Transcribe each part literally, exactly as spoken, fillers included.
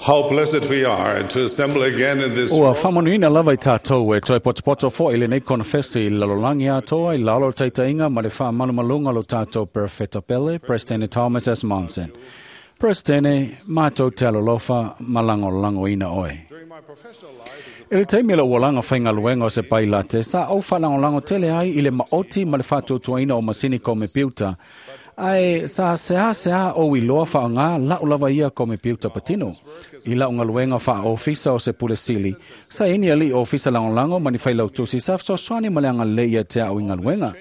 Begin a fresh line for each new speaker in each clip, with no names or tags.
How blessed we are to assemble again in this
Ua
room.
whamanuina lava i tātou e toi potopoto fo i le nei konfesi i lalolagi atoa i lalo taitainga ma le whaamalumalunga lo tātou Perfetta Pele, President Thomas S. Monson. President, mātou te alolofa malango lango ina oe.
During my professional life as a
I le taimi o le ualaga faigaluega o se pailate, sa ou faalagolago tele ai i le maoti ma le faatuatuaina o masini komepiuta, ae sa seasea ou iloa faaaogā la'u lava ia komepiuta patino. I la'u galuega faaofisa o se pule sili, sa ini ali'i ofisa lagolago ma ni failautusi sa fesoasoani ma le agalelei ia te a'u i galuega.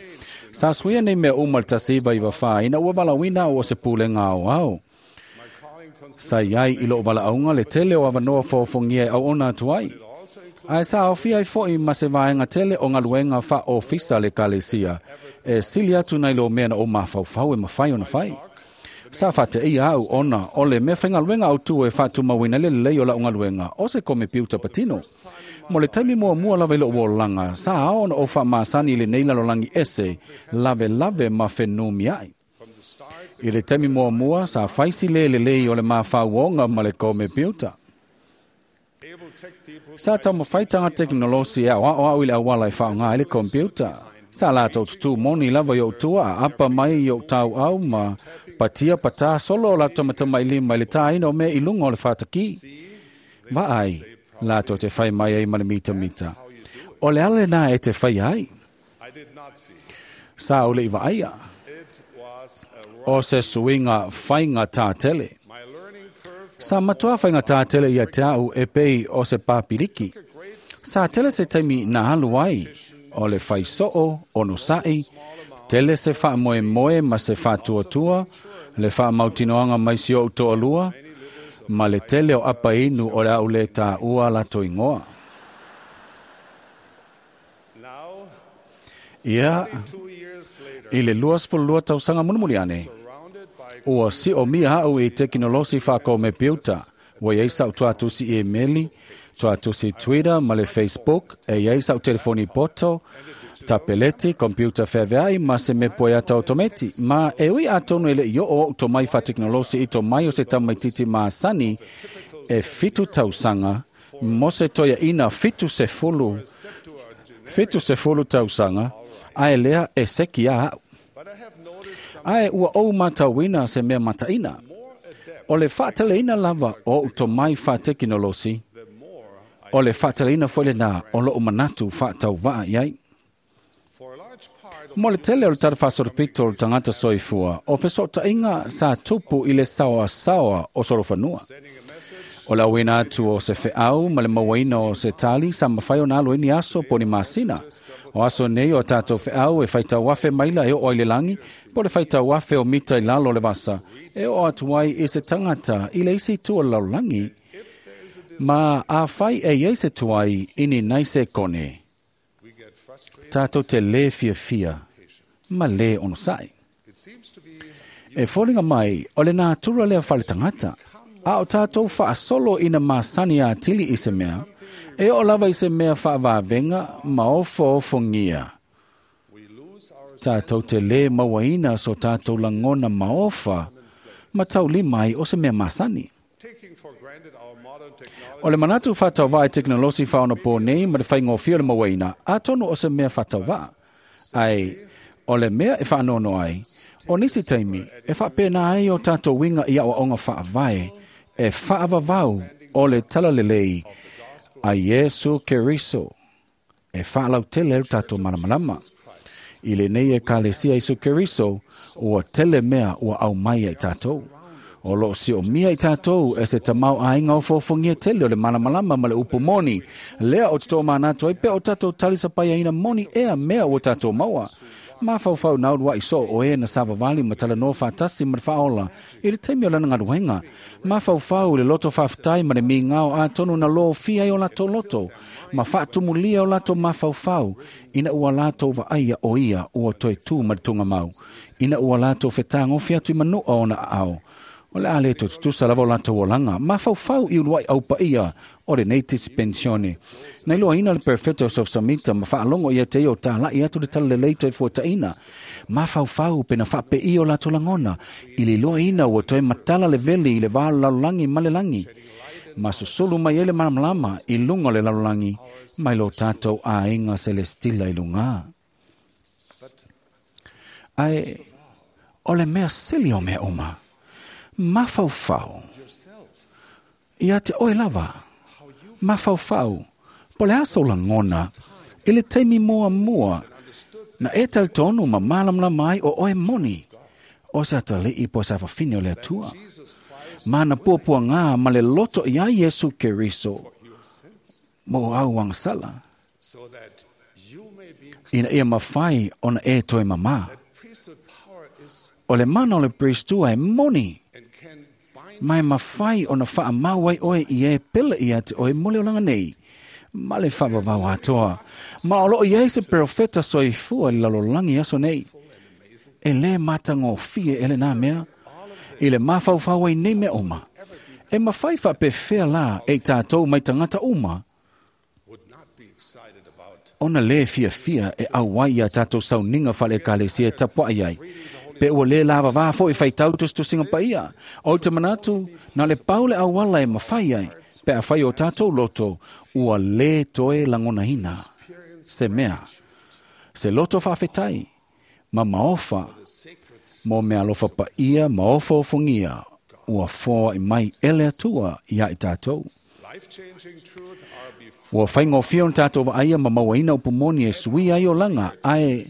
Sa suia nei mea uma le tasi iva iva fā ina ua valaauina au o se pulega aoao.
my calling consists
Sa iai i lo'u valaauga le tele o avanoa foofogia e auona atu ai.
also includes
Ae sa aofia ai fo'i ma se vaega tele o galuega faaofisa le ekalesia, e sili atu nai lo mea na ou mafaufau e mafai ona fai. Sa faateia au ona o le mea faigaluega autū e faatumauina le lelei o la'u galuega o se komepiuta patino. Mo le taimi muamua lava i lo'u olaga, sa ao ona ou faamasani i lenei lalolagi ese, lavelave ma fenumia'i.
from the start
I le taimi muamua sa faisi lē lelei o le mafauoga ma le komepiuta.
able tech people
Sa taumafai taga tekonolosi e aoao au i le auala e faaaogā ai le kompiuta. Sa latou tutū moni lava i ou tua a apa mai i ou tauau ma patia patā solo o latou matamailima i le tāina o mea i luga o le fatakī. Vaai, latou te fai mai ai ma le mitamita. O le ala lenā e te faia ai.
I did not see.
Sa ou le'i vaaia.
It was a
O se suiga faiga tātele.
my learning curve was
Sa matoa faiga tātele ia te au e pei o se pāpiliki.
a great
Sa tele se taimi na alu ai, o le faisoo, o no sa'i, tele se faamoemoe ma se faatuatua, le faamautinoaga mai si o'u to'alua, ma le tele o apainu o le au lē tāua latou igoa.
now
Ia,
two years later
i le luasefululua tausaga mulimuli ane,
surrounded by
ua si'omia a'u i tekinolosi faakomepiuta, ua iai sa'u tuatusi emeli, tuatusi Twitter ma le Facebook, e iai sa'u telefoni poto, tapeleti, kompiuta feavea'i ma se mea poeata otometi. Ma e ui atonu e le'i o'o o'u tomai faatekonolosi i tomai o se tamaititi masani e fitu tausaga mo se toeaʻina fitu sefulu, fitu sefulu tausaga, ae lea e seki a a'u.
but I have noticed some
Ae ua ou matauina se mea mataʻina.
more adept
O le faateleina lava o o'u tomai faatekinolosi,
the more I,
o le faateleina foi lenā o lo'u manatu faatauvaa i ai.
for a large part of
Mo le tele o le talafaasolopito o le tagata soifua, o feso'ota'iga sa tupu i le saoasaoa o solofanua.
sending a message
O le auina atu o se fe'au ma le mauaina o se tali sa mafai ona alu ai ni aso po ni masina. O aso nei o tātou fe'au e faitauafe maila e o'o ai le lagi, po le faitauafe o mita i lalo o le vasa, e o'o atu ai i se tagata i le isi itu o le lalolagi, ma afai e iai se tuai ini nai se kone.
we get frustrated
Tātou te lē fiafia ma lē onosa'i.
it seems to be
E foliga mai, o le natura lea faletagata. A o tātou faasolo ina masani atili i se mea, e o lava i se mea faavavenga ma ofoofogia.
we lose our
Tātou te lē mauaina so tātou lagona maofa, ma taulima ai o se mea masani.
taking for granted our modern technology
O le manatu faatauvaa i tekonolosi faaonapō nei ma le faigofie o le mauaina, atonu o se mea faatauvaa. Ae, o le mea e faanoano ai, o nisi taimi e faapena ai o tātou uiga i aʻoaʻoga faavae e faavavau o le talalelei a Iesu Keriso e faalautele ai lo tatou malamalama. I lenei ekalesia Iesu Keriso, ua tele mea ua aumai ai tatou. O loo siomia i tātou e se tamau aiga o foofogia tele o le malamalama ma le upu moni. Lea o te toʻamanatu ai pea o tatou talisapaiaina moni ea mea ua tatou maua. Mafaufau na ulua'i soo o e na savavali ma talanoa faatasi ma le faaola i le taimi o lana galuega. Mafaufau i le loto faafetai ma le migao atonu na lofia ai o latou loto ma faatumulia o latou mafaufau ina ua latou vaaia o ia ua toe tū ma le tugamau. Ina ua latou fetagofi atu i manu'a ona aao. O le a le tututusa lava o latou olaga, mafaufau i ulua'i aupaia o lenei tisi pensione. Na iloaina le perfeto o Samita ma faalogo ia te ia o tāla'i atu le talalelei toe fuataʻina. Mafaufau pena faapeia o latou lagona, i le iloaina ua toe matala le veli i le va o le lalolagi ma le lagi. Ma susulu mai ai le malamalama i luga o le lalolagi mai lo tātou aiga selestila i luga. Ae o le mea sili o mea uma, mafaufau ia te oe lava, mafaufau po le aso lagona i le taimi muamua na e talitonu ma malamalama ai o oe moni o se atalii po o se afafine o le Atua. Ma na puapuaga ma le loto ia Iesu Keriso mo au agasala,
so that you may be
ina ia mafai ona e toe mamā.
Priesthood power is
O le mana o le Priestua e moni,
and can bind
mai mafai ona whaamau ai oe i e pele ia te oe mo le olaga nei. Ma le whaavavau atoa. Ma o loo iai se profeta soifua i le lalolagi aso nei. E le matagofie e lenā mea, i le mafaufau ai nei mea uma. E mawhai whaapewhea la e tātou mai tangata uma,
would not be excited about
ona le fiafia e auai ia tātou sauninga whale ekalesia e tapua ai ai. Pe ua le lava vā fo i whaitau tustusinga paia. O te manatu, na le paule awala e mawhai ai, pe a whai o tātou loto, ua le toe langonahina. Se mea, se loto whaafetai, ma maofa, mo mea alofa paia, maofa ofongia, ua foa i mai ele atua ia i tātou.
life-changing truth are before
Ua whaingofia o tātou vaaia ma mauaina upu moni e sui ai o langa, ae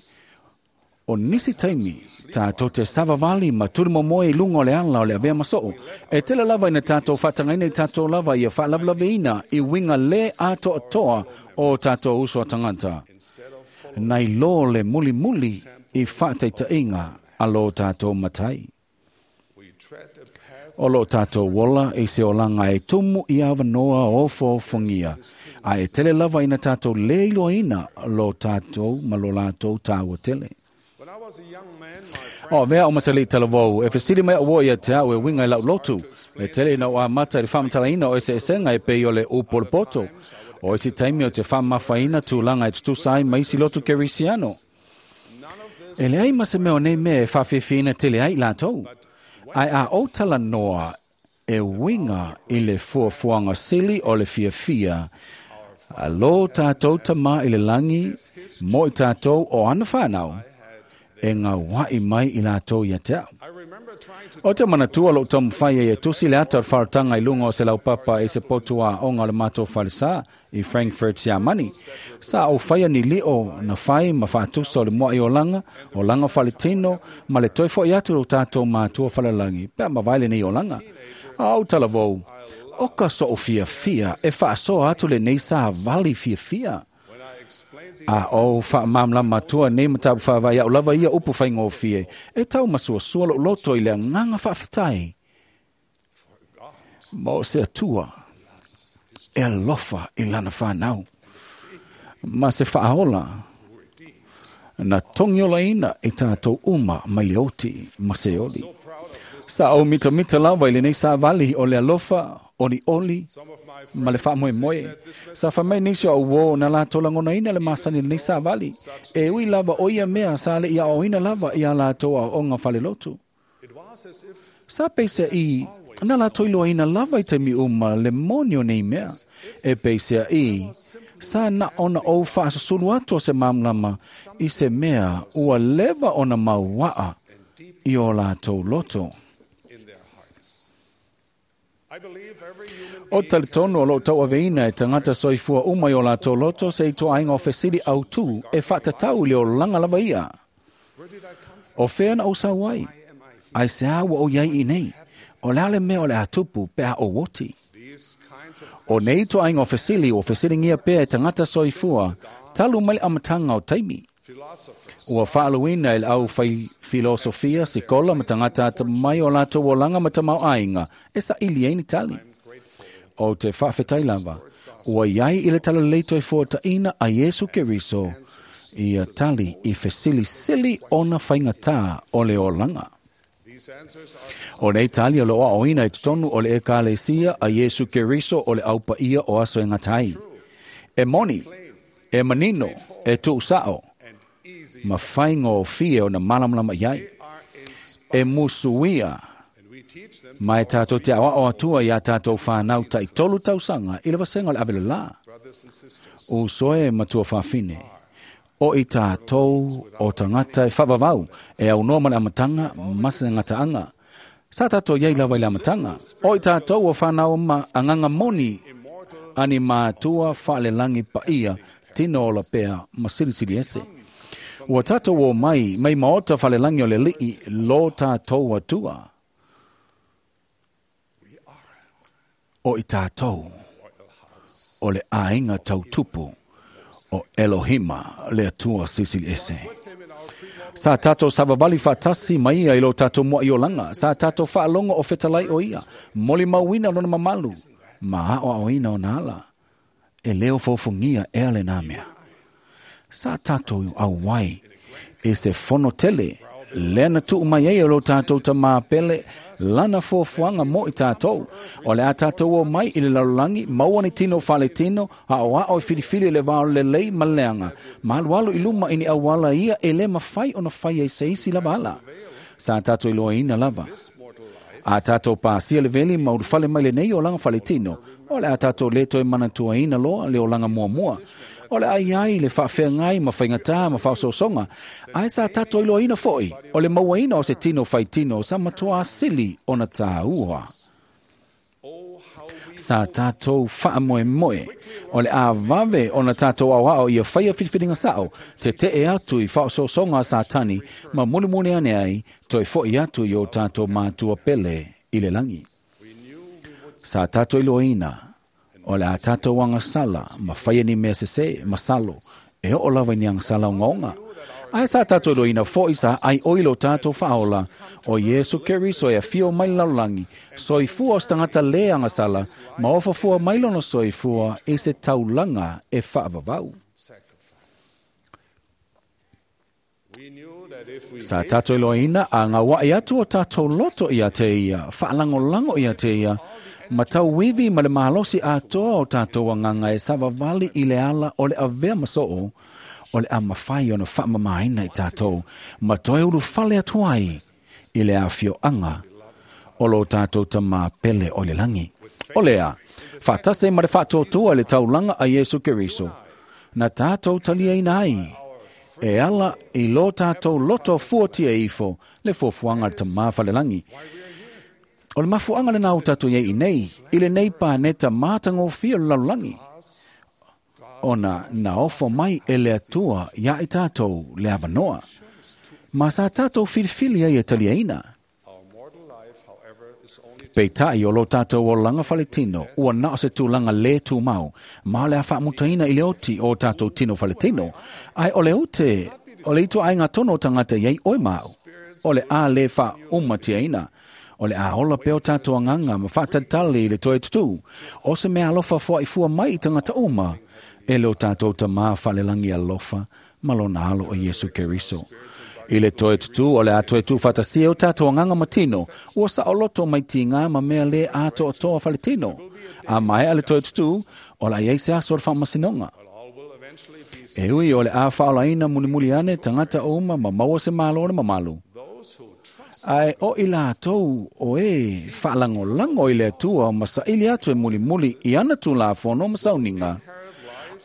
o nisi taimi, tātou te savavali ma turi momoe i lunga o le ala o le avea masoo. E tele lava ina tātou whaatangaina i tātou lava ia whaalavelaveina i winga le atoa toa o tātou uso a tangata. Nei lō le muli muli i whaataitainga a lō tātou matai.
we tread a path
O lo tātou wola e se olanga e tumu i awanoa o fōfongia. A e tele lava ina tātou le iloina lo tātou ma lo lātou tāua tele.
When I was a young man, my friend
O mea o masali talavou, e fesili mai o ia te au e winga i lau lotu. E tele ina o a mata i le whamatalaina o ese esenga e pei o le upo le poto. O isi taimi o te whamawhaina tūlanga e tutusa ai maisi lotu kerisiano.
none of this
E leai ma se mea o nei mea e whawhiwhina tele ai lātou. Ai a o tala noa e winga i le fuafuaga sili o le fiafia. A lo tātou tama i le langi, mo i tātou o ana whanau, e ngā wai mai i lātou ia te au.
I remember trying to
O te manatua lo taumawhai e tusi le ata o le wharatanga i lunga o se laupapa i se potua o ngā le mātou whalesa i Frankfurt Siamani. Sa o whaia ni lio na whai ma whaatusa o le mua i o langa, o langa whaletino, ma le toi fo i atu o tātou mātua whalalangi, pea mawaile nei o langa. A au talavou, o ka so o fia fia, e whaasoa atu le nei sa vali fia fia.
when I explained the
A o whaamamla matua nei matapu whaavai au lava ia upu whaingofie. E tau masuasua lo loto i le nganga whaafetai. Mo se atua e alofa i lana whanau. Ma se whaaola na tongiola ina i tātou uma mai le oti ma se oli.
so proud of this
Sa o mita mita lava i lenei sa vali o le alofa, oli oli,
some of my
ma le
friends
whaamoe moe. Sa whamai nisi o uo na lātou langona ina le masani lenei sa vali. E ui lava o ia mea sa le ia o ina lava i a lātou a onga whale lotu.
it was as if
Sa peisea i, na lātou iloa ina lava i te mi uma le moni o nei mea. E peisea i, sa na ona o whaasusulu atu o se mamlama i se mea ua lewa ona mauaa i o lātou loto.
in their hearts. I believe every human
O
being
talitonu o lo tau aveina e tangata soifua uma i o lātou loto se i toa ainga o fesili au tū e whaatatau i le o langa lava ia.
Where did I come from?
O whea na o sau ai?
Why am I here?
Ai se awa o iai i nei. O lale mea o le atupu pe a o woti.
These kinds of
O nei toa ainga o fesili o fesilingia pea e tangata soifua, talu mai le amatanga o taimi.
philosophers
Ua whaaluina e le au whai filosofia, sikola, ma tangata ata mai o lātou o langa ma tamau ainga, e sa ili ei ni tali.
I'm grateful
O te whaafetai lava, ua iai i le tala leito e fuataina a Iesu Keriso, ia tali i fesilisili ona whaingatā o le olanga.
These answers are
O nei tali o le oa oina i totonu o le ekalesia a Iesu Keriso o le aupaia o aso e ngatai. E moni, e manino, e tuusao,
and easy.
ma whainga o fie o na malamalama iai.
They are inspired
E musuia
and we teach
Mai tātou te awa o atua i a tātou whānau tai tolu tausaga i le vasenga o le avelala. O soe matua whawhine. O i tātou o tangata e whavavau e au noa ma le amatanga masa ngata anga. Sa tātou iei lava i le amatanga. O i tātou o whānau ma anganga moni ani mātua whaalelangi paia tino ola pea ma silisili ese. Ua tātou o mai, mai maota whalelangi o le lii lo tātou atua. O i tātou o le ainga tautupu o Elohima le atua sisili ese. Sa tātou savavali whatasi mai ia i lo tātou mua i olanga. Sa tātou whaalongo o fetalai o ia. Moli mauina lona mamalu. Ma ao aoina o nāla. E leo fōfungia e ale nā mea. Sa tātou au wai e se fono tele. Lena tuu mai ei o lo tātou ta māpele lana fuafuaga mo i tātou. O le a tātou o mai i le lalolagi, maua ni tino faletino, a o ao e filifili le vao lelei ma leaga. Malualu i luma i ni auala ia e le mafai ona fai ai se isi lava ala. Sa tātou iloaina lava. A tātou pāsia le veli ma ulufale mai lenei olaga faletino. O le a tātou leto e manatuaina loa le olaga muamua. O le ai ai le whaafeangai ma whaingatā ma whaososoga. Ai sa tātou iloaina foi. O le mauaina o se tino whaitino sa matua asili ona tāua. Sa tātou whaamoe moe. O le āwawe ona tātou au ao ia whaia whiriwhiringa sao. Te te e atu i whaososoga a Satani ma mulimuli ane ai toi foi atu i o tātou mātua pele i le langi. Sa tātou iloaina. O le a tātou angasala, ma whaia ni mea sese, masalo, e o lava ni angasala o ngaonga. Ai sa tātou iloina foi sa ai oilo tātou whaola, o Yesu Keriso e a fio mai lalolagi, soifua o stangata le angasala, ma ofafua mai lono soifua e se taulanga e whaavavau. Sa tātou iloina a ngā wai atu o tātou loto ia te ia, whaalangolango ia te ia, ma tau wivi ma le mahalosi atoa o tātou anganga e savavali i le ala o le avea masoo, o le a mawhai ona whaamamaina i tātou, ma toe ulu fale atu ai i le awhioanga o lo tātou tamā pele o le langi. O lea, whatase ma le whaatotua le taulanga a Yesu Keriso, na tātou taliaina ai, e ala i lo tātou loto fuatia ifo, le fuafuanga le tamā whalelangi. O le mafuanga le nau tātou iei nei, i le nei pāneta mātangofia le lalolagi. Ona na ofo mai e le atua ia i tātou le avanoa. Ma sa tātou filifili ai e taliaina. Peitai o lo tātou o langa faletino, ua na o se tūlanga le tūmau, ma le a whaamutaina i le oti o tātou tino faletino, ai o le ute, o le ito ai ngā tono tangata iei oi mau, o le a le wha umatiaina. O le a ola peo tātou anganga ma whaatatali i le toe tutu. O se mea alofa fua i fua mai i tangata uma. E leo tātou ta mā whalelangi alofa ma lona alo o Yesu Keriso. I le toe tutu o le a toe tu whatasia o tātou anganga matino. Ua sa oloto mai ti ngā ma mea le atoa toa whaletino. A mai a le toe tutu o la iei se aso o le whaamasinonga. E ui o le a whaolaina mulimuli ane tangata uma ma maua se malo le mamalu. Ai o i lātou o e whaalangolango i le atua ma saili atu e mulimuli i ana tūlāfono ma sauninga.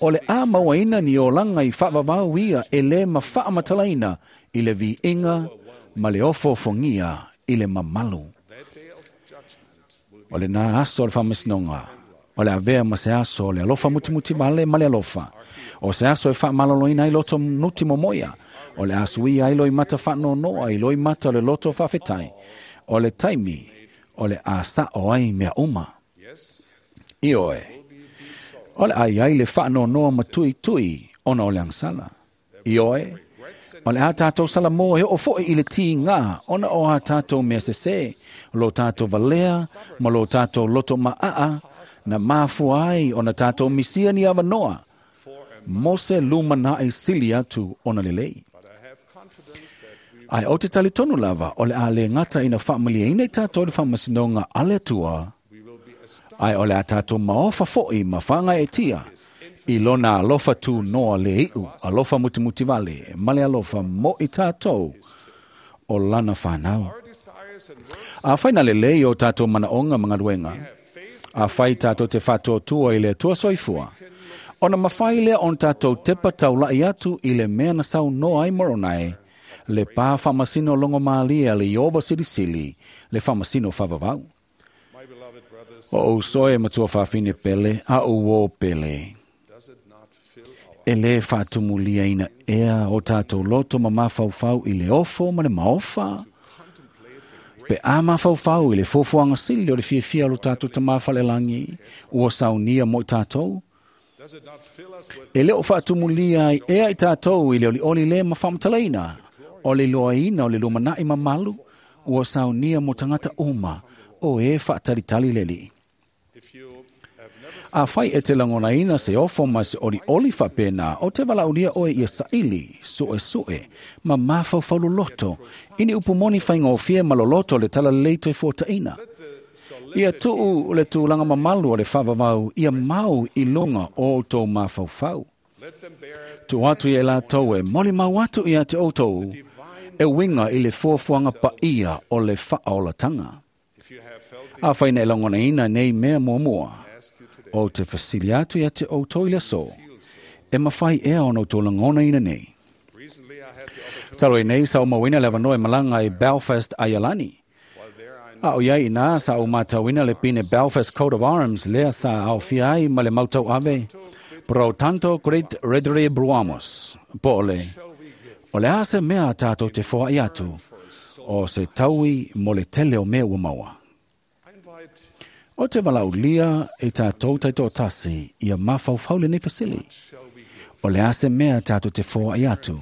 O le a mauaina ni o langa i whaavavau ia e le ma whaamatalaina i le viinga ma le ofofongia i le mamalu. O le nā aso o le whaamasinonga. O le avea ma se aso o le alofa mutimuti vale ma le alofa. O se aso e whaamaloloina i loto nuti momoia. O le asui ai loi mata whaanonoa i loi mata o le loto whawhetai. O le taimi, o le asa o ai mea uma. I oe, o le ai ai le whaanonoa matui tui ona o le angsala. I oe, o le a tātou sala mō e o foi i le ti ngā ona o a tātou mea sese, lo tātou valea, ma lo tātou loto maa, na mafua ai ona tātou misia ni awanoa. Mose luma na e sili atu ona lelei. Ai o te tali tonu lava, o le a le ngata ina whaamalia ina i tātou le whaamasinonga ale atua. Ai o le a tātou maofa foi ma whanga e tia. I lona alofa tu noa le iu, alofa mutimuti vale, ma le alofa mo i tātou o lana whanau. Afai na lelei o tātou manaonga ma galuega, afai tātou te faatuatua i le Atua soifua, ona mafai lea ona tātou tepa taulai atu i le mea na saunoa ai Moronai, le pā faamasino logomalie a le Ieova Silisili, le faamasino faavavau.
My beloved brothers,
O ouso e matua faafine pele, a ou ō pele.
does it not fill our
E lē faatumuliaina ea o tātou loto ma mafaufau i le ofo ma le maofa,
contemplate the
pe a mafaufau i le fuafuaga sili o le fiafia o lo tātou tamā falelagi, ua saunia mo i tātou.
Does it not fill us with
E le o faatumulia ai ea i tātou i le olioli le ma faamatalaina, o le iloaina o le lumanai mamalu, ua saunia mo tagata uma, o e faatalitali le alii.
If you have never
Afai e te lagonaina se ofo ma se olioli faapena, o te valaaulia oe ia saili, suesue, ma mafaufau loloto, i ni upu moni faigofie ma loloto le talalelei toe fuataʻina. Ia tuu le tulaga mamalu o le faavavau ia mau i luga o outou mafaufau.
let them bear
Tuu atu ia i latou e molimau atu ia te outou, e uiga i le fuafuaga paia o le faaolataga.
If you have felt the
Afai na e lagonaina nei mea muamua,
ask you today,
o te fesili atu ia te outou i le aso, e mafai ea ona outou lagonaina nei.
recently I had the opportunity
Talo i nei sa o mauina le avanoa e malaga i Belfast, Aialani.
while there I
A o iai ina sa o matauina le pine Belfast Coat of Arms lea sa aofia ai ma le mautau ave Pro tanto great redere bruamos. Po o le, o le a se mea a tātou te foai atu, o se taui mo le tele o mea ua maua.
I invite
O te valaulia e tātou taitoatasi ia mafaufau lenei fesili.
shall we give
O le a se mea tātou te foai atu,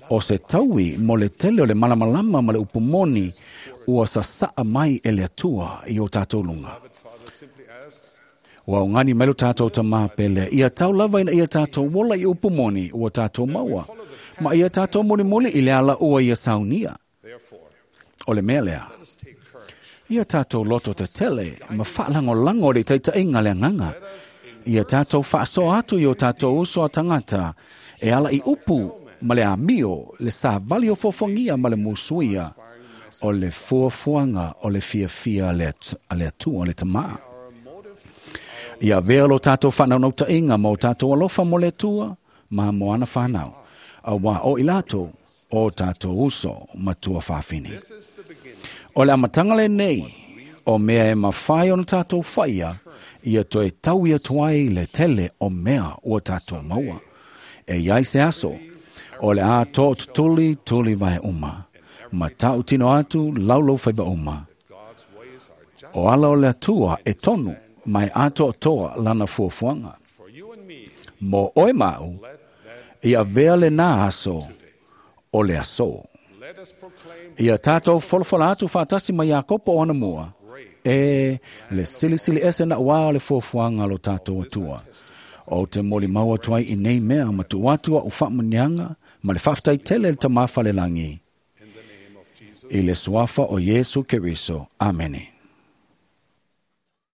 o se taui mo le tele o le malamalama ma le upumoni ua sasaa mai e le Atua i o tātou luga.
Beloved Father simply asks,
Ua augani mai lo tātou tamā pele, ia tau lava ina ia tātou ola i upumoni ua tātou maua, ma ia tātou mulimuli i le ala ua ia saunia.
therefore,
O le mea lea,
let us take courage.
ia tātou loto tetele ma faalagolago o le taitaiga le agaga. Ia tātou faasoa atu i o tātou uso a tagata e ala i upu ma le amio le savali o fofogia ma le musuia o le fuafuaga o le fiafia a le At- a le Atua le Tamā.
Our motive,
Ia avea lo tātou faanaunautāiga ma o tātou alofa mo le Atua ma mo ana whanau. Auā o i latou o tātou uso matua faafine.
this is the beginning.
O le amataga lenei, o mea e mafai ona tātou faia, ia toe taui atu ai le tele o mea ua tātou maua. E iai se aso, o le a tootutuli tuli vae uma. Ma tautino atu laulau faiva uma.
God's ways are just
O ala o le Atua e tonu, mai atoatoa lana fuafuaga.
for you and me.
Mo oe mau,
Let that
ia avea lenā aso, o le aso.
let us proclaim
Ia tātou folafola atu faatasi ma Iakopo o ana mua, e le silisili ese na ua o le fuafuaga lo tātou Atua. O te molimau atu ai i nei mea ma tuu atu au faamuniaga ma le faafetai tele le tamā falelagi
in the name of Jesus.
i le suafa o Iesu Keriso. Amene.